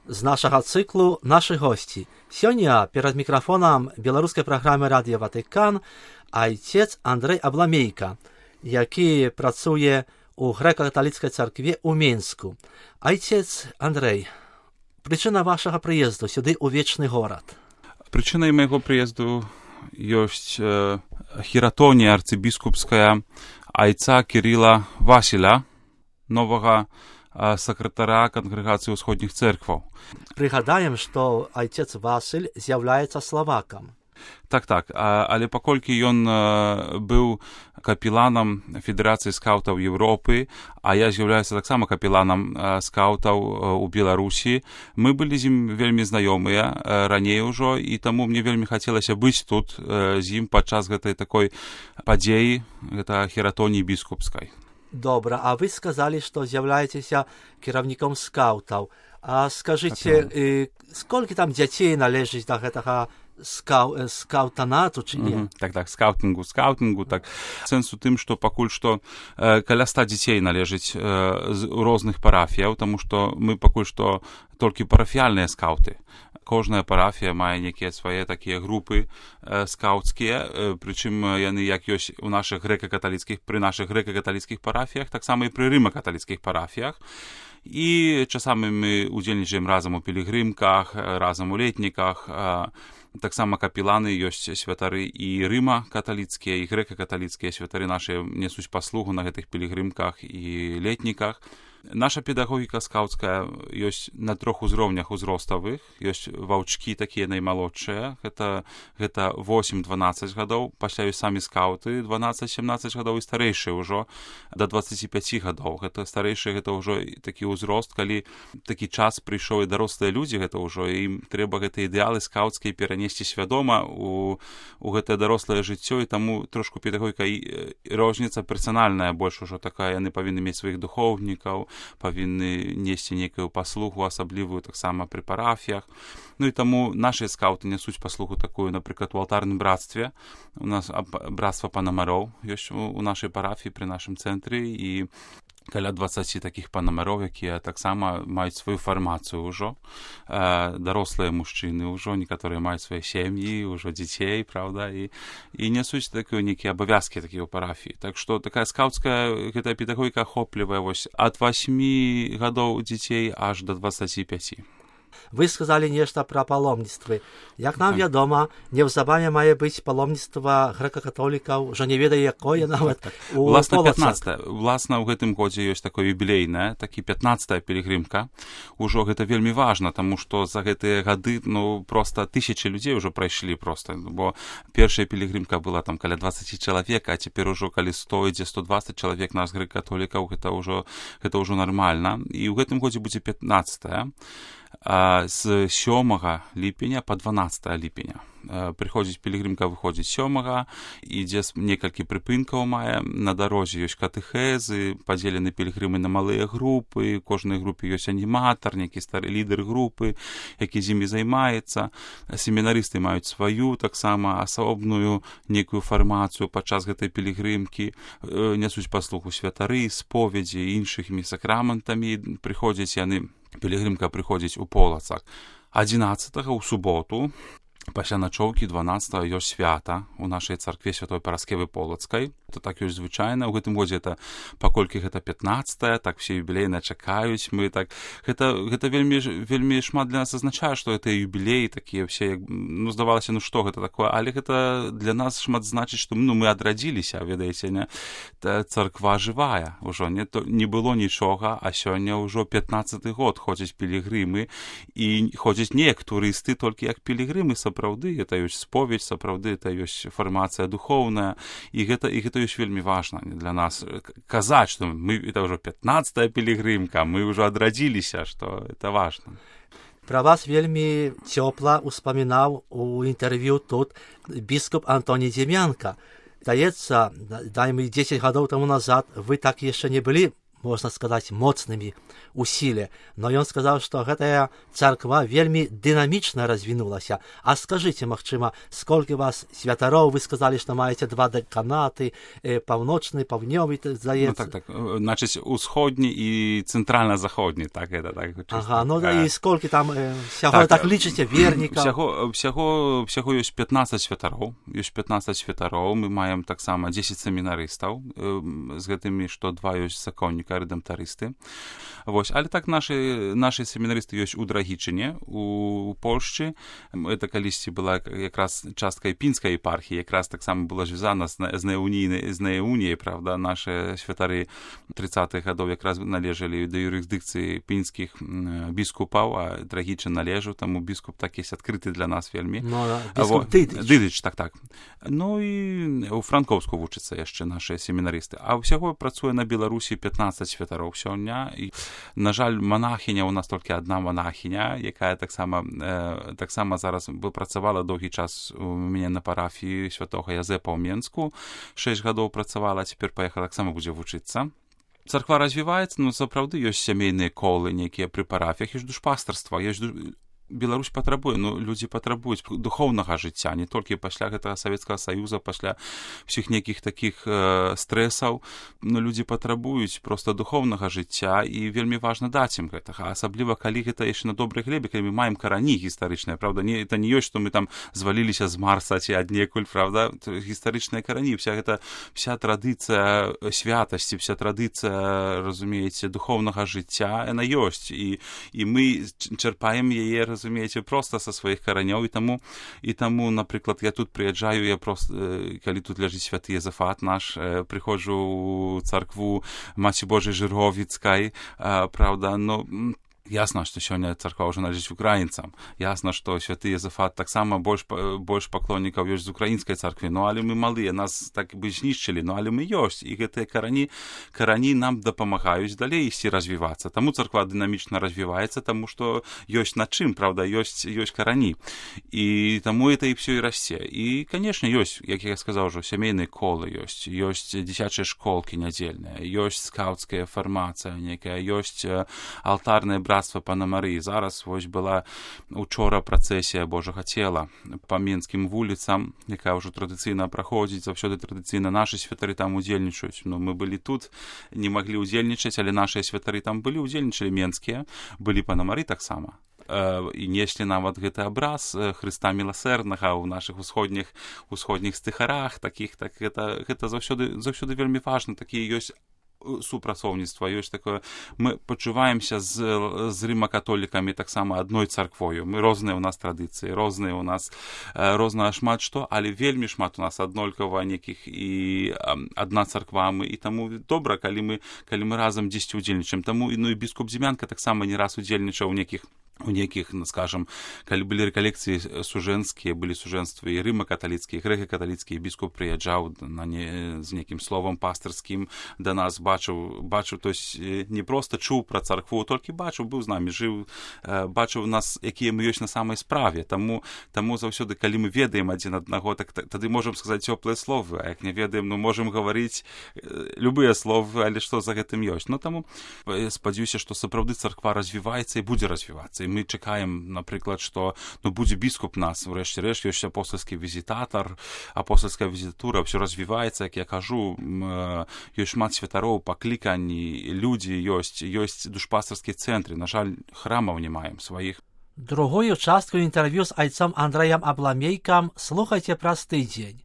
з нашага цыклу «Нашы госці». Сёння перад мікрафонам беларускай праграмы «Радыё Ватыкан» айцец Андрэй Абламейка, які працуе у грэка-каталіцкай царкве ў Менску. Айцец Андрэй, прычына вашага прыезду сюды ў вечны горад? Прычынай майго прыезду ёсць хіратонія арцыбіскупская айца Кірыла Васіля, новага сакратара Кангрэгацыі ўсходніх цэркваў. Прыгадаем, што айцец Васіль з'яўляецца славакам. Так, але паколькі ён быў капеланам Федэрацыі скаўтаў Еўропы, а я з'яўляюся таксама капеланам скаўтаў у Беларусі, мы былі з ім вельмі знаёмыя раней ужо, і таму мне вельмі хацелася быць тут з ім падчас гэтай такой падзеі, гэта хіратоніі біскупскай. Добра, а вы сказалі, што з'яўляецеся кіраўніком скаўтаў. А скажыце, сколькі там дзяцей належыць да гэтага скаўтанату, ці не? Так, скаўтынгу, так. Сэнс у тым, што пакуль што каля 100 дзяцей належыць з розных парафіяў, таму што мы пакуль што толькі парафіяльныя скаўты. Кожная парафія мае некія свае такія групы скаўцкія, прычым яны як ёсць у нашых грэка-каталіцкіх, пры нашых грэка-каталіцкіх парафіях, таксама і пры рыма-каталіцкіх парафіях. І часамі мы удзельнічаем разам у пілігрымках, разам у летніках. Таксама капеланы ёсць святары і рыма-каталіцкія, і грэка-каталіцкія святары нашы несуць паслугу на гэтых пілігрымках і летніках. Наша педагогіка скаўцкая ёсць на 3 узроўнях узроставых. Ёсць ваўчкі такія наймалодшыя, гэта 8-12 гадоў, пасля ёсць самі скаўты 12-17 гадоў і старэйшыя ўжо да 25 гадоў. Гэта старэйшыя, гэта ўжо такі ўзрост, калі такі час прыйшоў і дарослыя людзі, гэта ўжо ім трэба гэтыя ідэалы скаўцкія перанесці свядома у гэтае дарослае жыццё, і таму трошку педагогіка розніца персанальная больш ужо такая, яны павінны мець сваіх духоўнікаў, павінны несці нейкую паслугу асаблівую таксама пры парафіях. Ну і таму нашыя скаўты нясуць паслугу такую, напрыклад, у алтарным братстве. У нас братства панамароў ёсць у нашай парафіі пры нашым цэнтры, і каля 20 такіх панамароў, якія таксама маюць сваю фармацыю ўжо. Дарослыя мужчыны ўжо, некаторыя маюць свае сем'і, ўжо дзяцей, правда, і нясуць такія нейкія абавязкі такія ў парафіі. Так што такая скаўцкая гэтая педагогіка ахоплівае вось ад 8 гадоў дзяцей аж да 25. Вы сказалі нешта пра паломніцтвы. Як нам вядома, неўзабаве мае быць паломніцтва грэка-католікаў, ўжо не ведае якое нават у Полацах. Уласна, ў гэтым годзе ёсць такое юбілейнае, такі 15-я пілігрымка. Ужо гэта вельмі важна, таму што за гэтыя гады, проста тысячы людзей ўжо прайшлі проста, бо першая пілігрымка была там каля 20 чалавек, а цяпер ужо калі 100 ідзе 120 чалавек нас грэка-католікаў, гэта ўжо нармальна. І ў гэтым годзе будзе 15-я. З 7 ліпеня па 12 ліпеня. Прыходзіць пілігрымка, выходзіць 7, ідзе некалькі прыпынкаў мае, на дарозе ёсць катэхезы, падзелены пілігрымы на малыя групы, у кожнай групе ёсць аніматар, нейкі стары лідар групы, які з імі займаецца. Семінарысты маюць сваю таксама асобную нейкую фармацыю падчас гэтай пілігрымкі, нясуць паслугу святары, споведзі, іншымі сакраментамі, прыходзяць яны. Пілігрымка прыходзіць у Полацах. 11-го ў суботу, пасля начоўкі 12-го ёсць свята у нашай царкве Святой Параскевы Полацкай. Это так ёсць звычайна. У гэтым годзе это, паколькі гэта 15-я, так все юбілейна чакаюць. Мы так гэта вельмі шмат для нас азначае, што гэта юбілеі такія все, здавалася, што гэта такое, але гэта для нас шмат значыць, што мы адрадзіліся, ведаеце, не? Царква жывая ўжо, не было нічога, а сёння ўжо 15-й год ходзяць пілігрымы, і ходзяць не як турысты, толькі як пілігрымы сапраўды, гэта ёсць споведь, сапраўды, это ёсць фармацыя духоўная, і гэта ёсць вельмі важна для нас казаць, што это ўжо 15-я пілігрымка, мы ўжо адрадзіліся, што это важна. Пра вас вельмі цёпла ўспамінаў у інтэрв'ю тут біскуп Антоній Дземянка. Здаецца, 10 гадоў таму назад вы так яшчэ не былі можна сказаць, моцнымі усіле. Но ён сказаў, што гэтая царква вельмі дынамічна развінулася. А скажыце, магчыма, сколькі вас святароў? Вы сказалі, што маеце 2 дэканаты, паўночны, паўднёвы, здаецца. Так. Значыць, усходні і цэнтральна-заходні, так, это так. Ага, і сколькі там всяго, так лічыце, вернікаў? Всяго ёсць 15 святароў. Ёсць 15 святароў. Мы маем таксама 10 семінарыстаў, з гэтымі, што 2 ёсць законніка, рэдэмптарысты. Вось, але так нашы семінарысты ёсць у Драгічыне, у Польшчы. Это калісьці была якраз частка пінскай епархіі, якраз таксама была звязана з неуніяй, правда, нашы святары 30-х гадоў якраз належалі да юрысдыкцыі пінскіх біскупаў, а Драгічын належаў, таму біскуп так есть адкрыты для нас вельмі. Біскуп Дыдыч, так. Ну і у Франкоўску вучацца яшчэ нашыя семінарысты. А ўсяго працуе на Беларусі 15 святароў сёння. І, на жаль, монахіня, у нас толькі адна монахіня, якая таксама зараз працавала доўгі час у мяне на парафіі святога Язэпа ў Менску. 6 гадоў працавала, цяпер паехала, таксама будзе вучыцца. Царква развіваецца, сапраўды ёсць сямейныя колы нейкія пры парафіях, ёсць душпастарства, Беларусь патрабуе, людзі патрабуюць духоўнага жыцця, не толькі пасля гэтага Савецкага Саюза, пасля ўсіх нейкіх такіх стрэсаў, людзі патрабуюць проста духоўнага жыцця, і вельмі важна даць ім гэтага, асабліва калі гэта яшчэ на добрай глебе, калі мы маем карані гістарычныя, правда, это не ёсць, што мы там зваліліся з Марса ці аднекуль, правда, гістарычныя карані, вся традыцыя святасці, вся традыцыя, разумееце, духоўнага жыцця, яна ёсць, і мы чэрпаем яе, разумееце, проста са сваіх каранёў, і таму, напрыклад, я тут прыязджаю, я проста, калі тут ляжыць святы Езафат наш, прыходжу ў царкву Маці Божай Жыровіцкай, правда, ясна, што сёння царква ўжо належыць украінцам. Ясна, што святы Езафат таксама больш паклоннікаў ёсць з украінскай царквы. Але мы малыя, нас так бы знішчылі, але мы ёсць. І гэтыя карані нам дапамагаюць далей ісці развівацца. Таму царква дынамічна развіваецца, таму што ёсць над чым, правда, ёсць карані. І таму это і ўсё і расце. І, канешне, ёсць, як я сказаў ужо, сямейныя колы ёсць дзіцячыя школкі нядзельныя, ёсць скаўцкая фармацыя некая, ёсць алтарныя братства Пана Марыі. Зараз вось была учора працэсія Божага цела па менскім вуліцам, якая ўжо традыцыйна праходзіць, заўсёды традыцыйна нашы святары там удзельнічаюць. Мы былі тут, не маглі ўдзельнічаць, але нашыя святары там былі, удзельнічалі менскія, былі Пана Марыі таксама. І неслі нават гэты абраз Хрыста міласэрнага ў нашых усходніх стыхарах, такіх, так гэта заўсёды вельмі важна, такія ёсць супрацоўніцтва, ёсць такое, мы пачуваемся з рыма-католікамі таксама адной царквою, мы розныя ў нас традыцыі, розныя ў нас шмат што, але вельмі шмат у нас аднолькава некіх і адна царква, і таму добра, калі мы разам дзесьці удзельнічаем. Таму і біскуп Дзімянка таксама не раз удзельнічаў у нейкіх, скажам, калі былі рэкалекцыі сужэнскія, былі сужэнствы і рыма-каталіцкія, грэка-каталіцкія, біскуп прыязджаў з нейкім словам пастырскім да нас, бачыў, то есть не проста чуў пра царкву, толькі бачыў, быў з намі, жыў, бачыў нас, якія мы ёсць на самай справе. Таму заўсёды, калі мы ведаем адзін аднаго, так тады можам сказаць цёплыя словы, а як не ведаем, можам гаварыць любыя словы, але што за гэтым ёсць. Таму спадзяюся, што сапраўды царква развіваецца і будзе развівацца. І мы чакаем, напрыклад, што будзе біскуп нас, врэшце рэшт, ёсць апостальскі візітатар, апостальская візітура, ўсё развіваецца, як я кажу, ёсць шмат святароў, паклікані, людзі ёсць душпастарскія цэнтры. На жаль, храмаў не маем сваіх. Другую частку інтэрв'ю з айцом Андрэем Абламейкам слухайце праз тыдзень.